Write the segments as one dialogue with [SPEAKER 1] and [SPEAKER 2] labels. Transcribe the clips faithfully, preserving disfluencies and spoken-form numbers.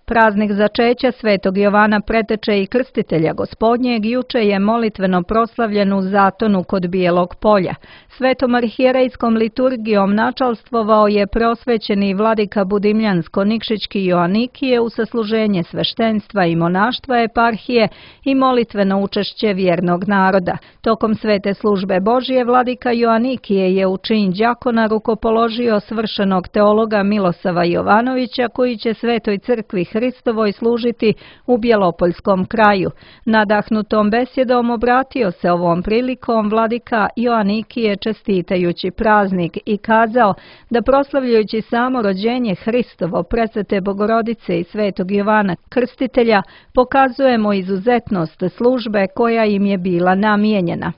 [SPEAKER 1] Praznik začeća Svetog Jovana Preteče i Krstitelja Gospodnjeg juče je molitveno proslavljen u Zatonu kod Bijelog polja. Svetom arhijerejskom liturgijom načalstvovao je preosvećeni vladika Budimljansko-Nikšićki Joanikije u sasluženje sveštenstva i monaštva eparhije i molitveno učešće vjernog naroda. Tokom svete službe Božije vladika Joanikije je u čin đakona rukopoložio svršenog teologa Milosava Jovanovića koji će Svetoj crkvi Hristovoj služiti u Bjelopoljskom kraju. Nadahnutom besjedom obratio se ovom prilikom vladika Joanikije čestitajući praznik i kazao da proslavljajući samo rođenje Hristovo, Presvete Bogorodice i Svetog Jovana Krstitelja pokazujemo izuzetnost službe koja im je bila namijenjena.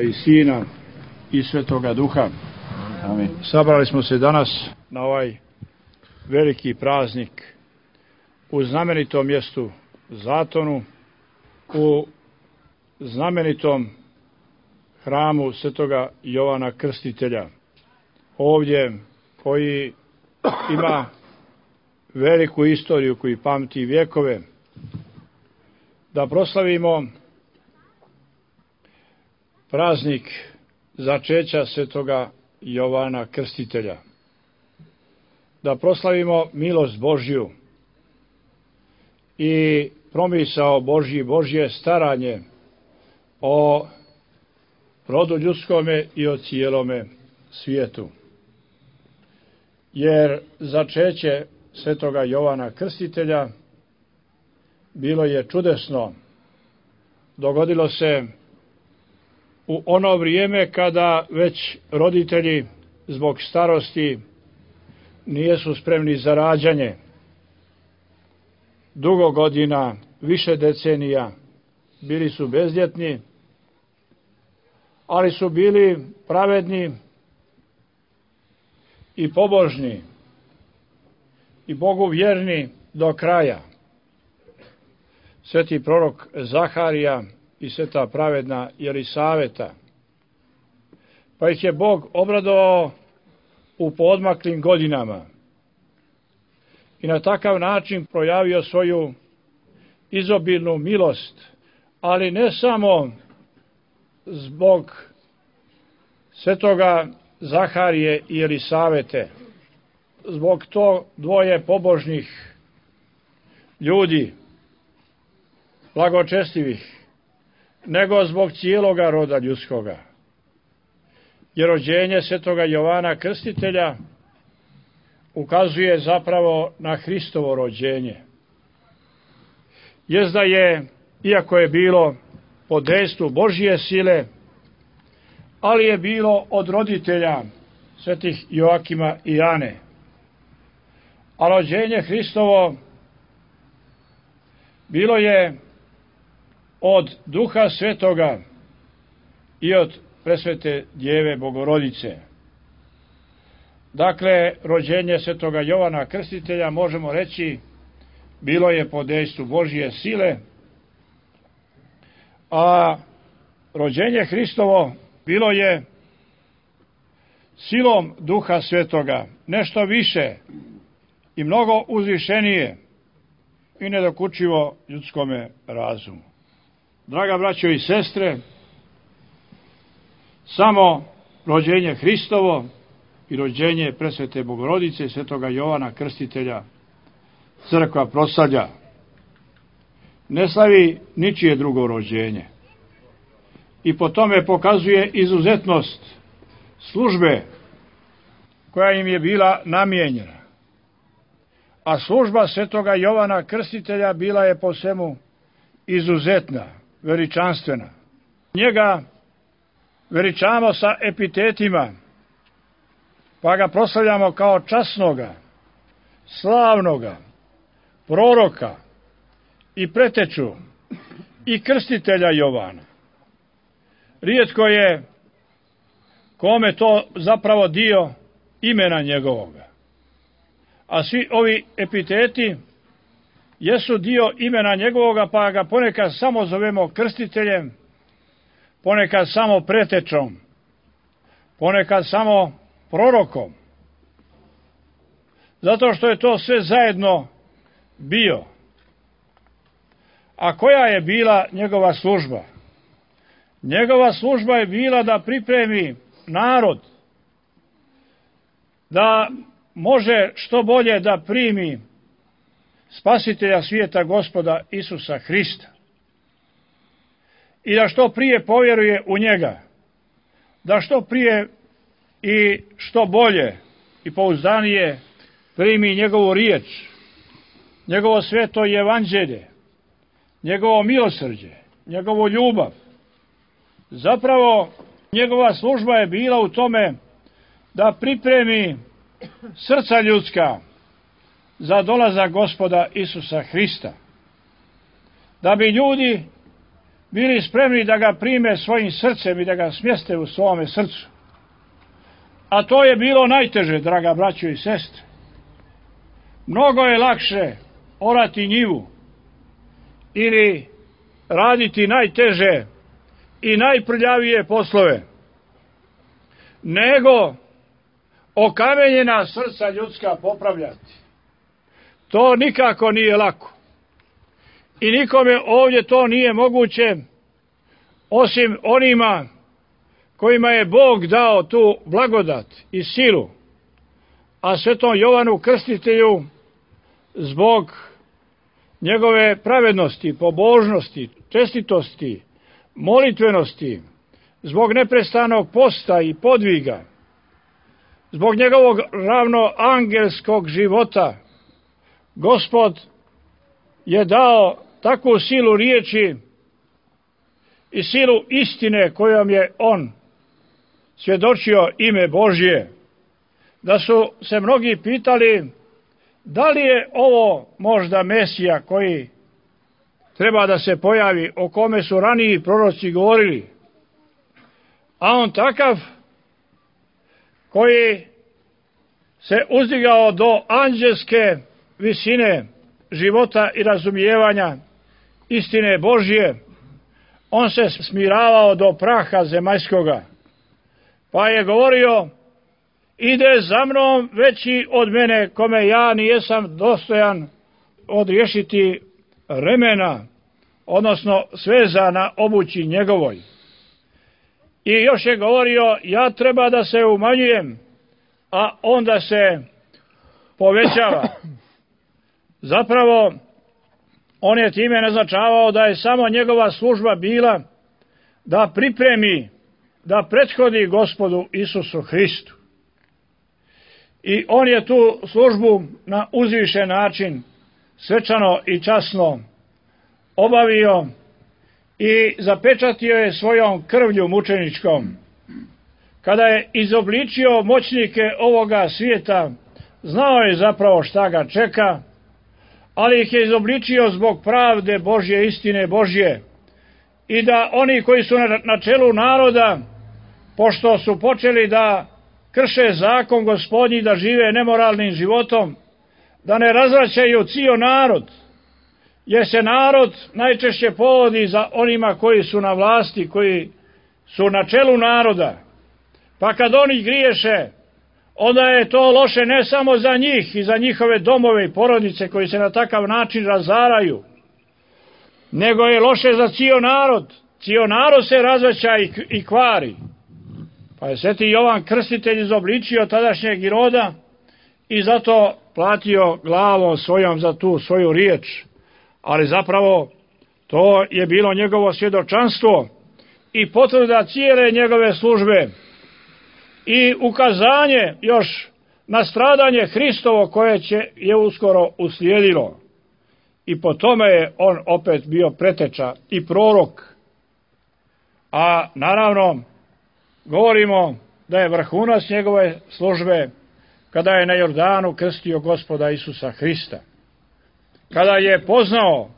[SPEAKER 2] I Sina i Svetoga Duha. Amin. Sabrali smo se danas na ovaj veliki praznik u znamenitom mjestu Zatonu, u znamenitom hramu Svetoga Jovana Krstitelja, ovdje koji ima veliku istoriju, koji pamti vjekove, da proslavimo praznik začeća Svetoga Jovana Krstitelja, da proslavimo milost Božju i promisao Božji, Božje staranje o rodu ljudskome i o cijelome svijetu. Jer začeće Svetoga Jovana Krstitelja bilo je čudesno. Dogodilo se u ono vrijeme kada već roditelji zbog starosti nijesu spremni za rađanje. Dugo godina, više decenija, bili su bezdjetni, ali su bili pravedni i pobožni i Bogu vjerni do kraja. Sveti prorok Zaharija i sveta pravedna Jelisaveta. Pa ih je Bog obradovao u poodmaklim godinama i na takav način projavio svoju izobilnu milost, ali ne samo zbog svetoga Zaharije i Jelisavete, zbog to dvoje pobožnih ljudi, blagočestivih, nego zbog cijeloga roda ljudskoga. Jer rođenje Svetoga Jovana Krstitelja ukazuje zapravo na Hristovo rođenje. Jest da je, iako je bilo po dejstvu Božje sile, ali je bilo od roditelja svetih Joakima i Ane. A rođenje Hristovo bilo je od Duha Svetoga i od Presvete Djeve Bogorodice. Dakle, rođenje Svetoga Jovana Krstitelja, možemo reći, bilo je po dejstvu Božje sile, a rođenje Hristovo bilo je silom Duha Svetoga, nešto više i mnogo uzvišenije i nedokučivo ljudskome razumu. Draga braćo i sestre, samo rođenje Hristovo i rođenje Presvete Bogorodice, Svetoga Jovana Krstitelja, crkva proslavlja. Ne slavi ničije drugo rođenje. I po tome pokazuje izuzetnost službe koja im je bila namijenjena. A služba Svetoga Jovana Krstitelja bila je po svemu izuzetna, veličanstvena. Njega veličamo sa epitetima, pa ga proslavljamo kao časnoga, slavnoga, proroka i preteču i krstitelja Jovana. Rijetko je kome to zapravo dio imena njegovoga. A svi ovi epiteti jesu dio imena njegovoga, pa ga ponekad samo zovemo krstiteljem, ponekad samo pretečom, ponekad samo prorokom. Zato što je to sve zajedno bio. A koja je bila njegova služba? Njegova služba je bila da pripremi narod, da može što bolje da primi Spasitelja svijeta Gospoda Isusa Hrista i da što prije povjeruje u njega, da što prije i što bolje i pouzdanije primi njegovu riječ, njegovo sveto evanđelje, njegovo milosrđe, njegovu ljubav. Zapravo, njegova služba je bila u tome da pripremi srca ljudska za dolazak Gospoda Isusa Hrista, da bi ljudi bili spremni da ga prime svojim srcem i da ga smjeste u svome srcu. A to je bilo najteže, draga braćo i sestre. Mnogo je lakše orati njivu ili raditi najteže i najprljavije poslove, nego okamenjena srca ljudska popravljati. To nikako nije lako. I nikome ovdje to nije moguće, osim onima kojima je Bog dao tu blagodat i silu, a svetom Jovanu Krstitelju zbog njegove pravednosti, pobožnosti, čestitosti, molitvenosti, zbog neprestanog posta i podviga, zbog njegovog ravnoangelskog života, Gospod je dao takvu silu riječi i silu istine kojom je on svjedočio ime Božje, da su se mnogi pitali da li je ovo možda Mesija koji treba da se pojavi, o kome su raniji proroci govorili, a on takav koji se uzdigao do anđelske visine života i razumijevanja istine Božje, on se smiravao do praha zemaljskoga, pa je govorio: ide za mnom veći od mene, kome ja nijesam dostojan odriješiti remena, odnosno sveza na obući njegovoj. I još je govorio: ja treba da se umanjujem, a onda se povećava. Zapravo, on je time naznačavao da je samo njegova služba bila da pripremi, da prethodi Gospodu Isusu Hristu. I on je tu službu na uzvišen način, svečano i časno obavio i zapečatio je svojom krvlju mučeničkom. Kada je izobličio moćnike ovoga svijeta, znao je zapravo šta ga čeka, ali ih je izobličio zbog pravde Božje, istine Božje, i da oni koji su na čelu naroda, pošto su počeli da krše zakon Gospodnji, da žive nemoralnim životom, da ne razvraćaju cijel narod, jer se narod najčešće povodi za onima koji su na vlasti, koji su na čelu naroda. Pa kad oni griješe, onda je to loše ne samo za njih i za njihove domove i porodice koji se na takav način razaraju, nego je loše za cijel narod. Cijel narod se razvraća i, i kvari. Pa je sveti Jovan Krstitelj izobličio tadašnjeg Iroda i zato platio glavom svojom za tu svoju riječ. Ali zapravo to je bilo njegovo svjedočanstvo i potvrda cijele njegove službe i ukazanje još na stradanje Hristovo koje će je uskoro uslijedilo. I po tome je on opet bio preteča i prorok. A naravno govorimo da je vrhunac njegove službe kada je na Jordanu krstio Gospoda Isusa Hrista. Kada je poznao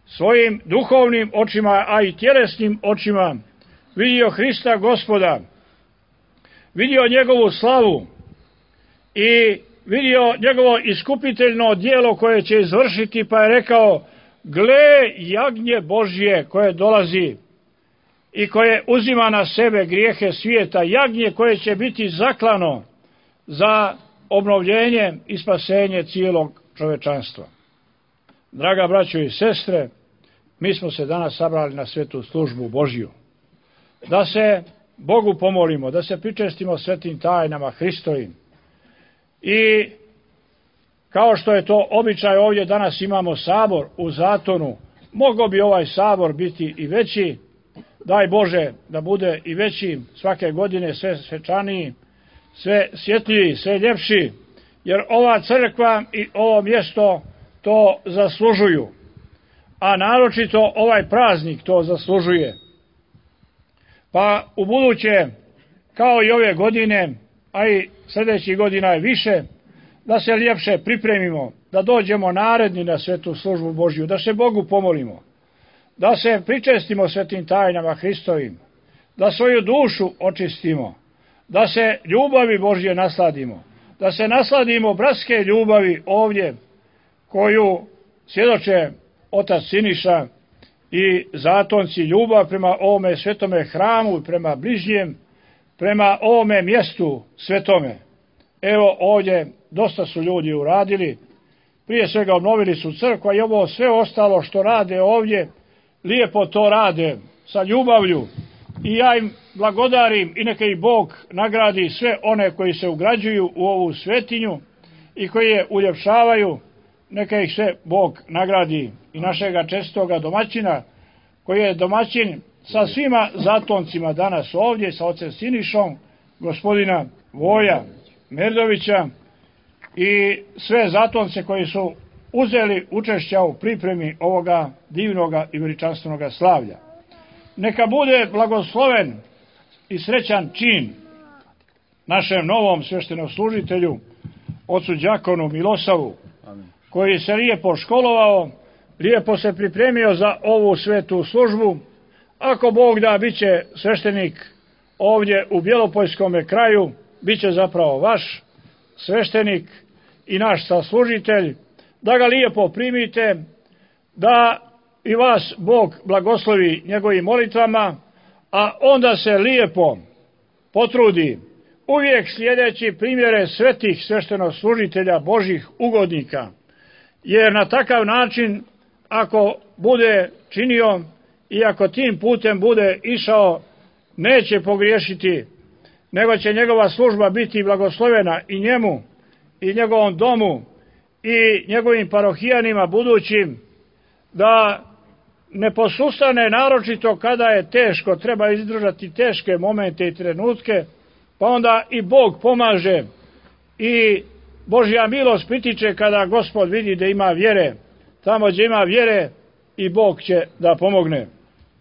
[SPEAKER 2] svojim duhovnim očima, a i tjelesnim očima, vidio Hrista Gospoda, vidio njegovu slavu i vidio njegovo iskupiteljno djelo koje će izvršiti, pa je rekao: gle, jagnje Božje koje dolazi i koje uzima na sebe grijehe svijeta, jagnje koje će biti zaklano za obnovljenje i spasenje cijelog čovečanstva. Draga braćo i sestre, mi smo se danas sabrali na svetu službu Božju. Da se Bogu pomolimo, da se pričestimo svetim tajnama Hristovim. I kao što je to običaj, ovdje danas imamo sabor u Zatonu, mogao bi ovaj sabor biti i veći, daj Bože da bude i veći, svake godine sve svečaniji, sve svjetljiji, sve ljepši, jer ova crkva i ovo mjesto to zaslužuju, a naročito ovaj praznik to zaslužuje. Pa u buduće, kao i ove godine, a i sljedećih godina je više, da se ljepše pripremimo, da dođemo naredni na svetu službu Božju, da se Bogu pomolimo, da se pričestimo svetim tajnama Hristovim, da svoju dušu očistimo, da se ljubavi Božje nasladimo, da se nasladimo bratske ljubavi ovdje, koju svjedoče otac Siniša i zatonci, ljubav prema ovome svetome hramu i prema bližnjem, prema ovome mjestu svetome. Evo ovdje dosta su ljudi uradili, prije svega obnovili su crkva i ovo sve ostalo što rade ovdje, lijepo to rade sa ljubavlju i ja im blagodarim i neka ih Bog nagradi sve one koji se ugrađuju u ovu svetinju i koji je uljepšavaju, neka ih sve Bog nagradi i našega čestoga domaćina koji je domaćin sa svima zatoncima danas ovdje, sa ocem Sinišom, gospodina Voja Merdovića i sve zatonce koji su uzeli učešća u pripremi ovoga divnoga i veličanstvenoga slavlja. Neka bude blagosloven i srećan čin našem novom sveštenoslужitelju, ocu đakonu Milosavu, koji se lijepo školovao, lijepo se pripremio za ovu svetu službu. Ako Bog da, bit će sveštenik ovdje u Bjelopojskom kraju, bit će zapravo vaš sveštenik i naš saslužitelj, da ga lijepo primite, da i vas Bog blagoslovi njegovim molitvama, a onda se lijepo potrudi, uvijek slijedeći primjere svetih sveštenoslужitelja Božih ugodnika, jer na takav način, ako bude činio i ako tim putem bude išao, neće pogriješiti, nego će njegova služba biti blagoslovena i njemu, i njegovom domu, i njegovim parohijanima budućim, da ne posustane naročito kada je teško, treba izdržati teške momente i trenutke, pa onda i Bog pomaže i Božja milost pritiče kada Gospod vidi da ima vjere. Tamo gdje ima vjere i Bog će da pomogne.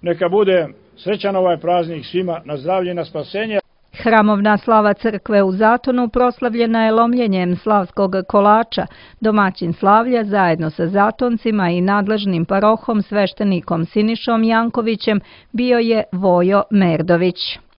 [SPEAKER 2] Neka bude srećan ovaj praznik svima, na zdravlje i na spasenje.
[SPEAKER 1] Hramovna slava crkve u Zatonu proslavljena je lomljenjem slavskog kolača. Domaćin slavlja zajedno sa zatoncima i nadležnim parohom sveštenikom Sinišom Jankovićem bio je Vojo Merdović.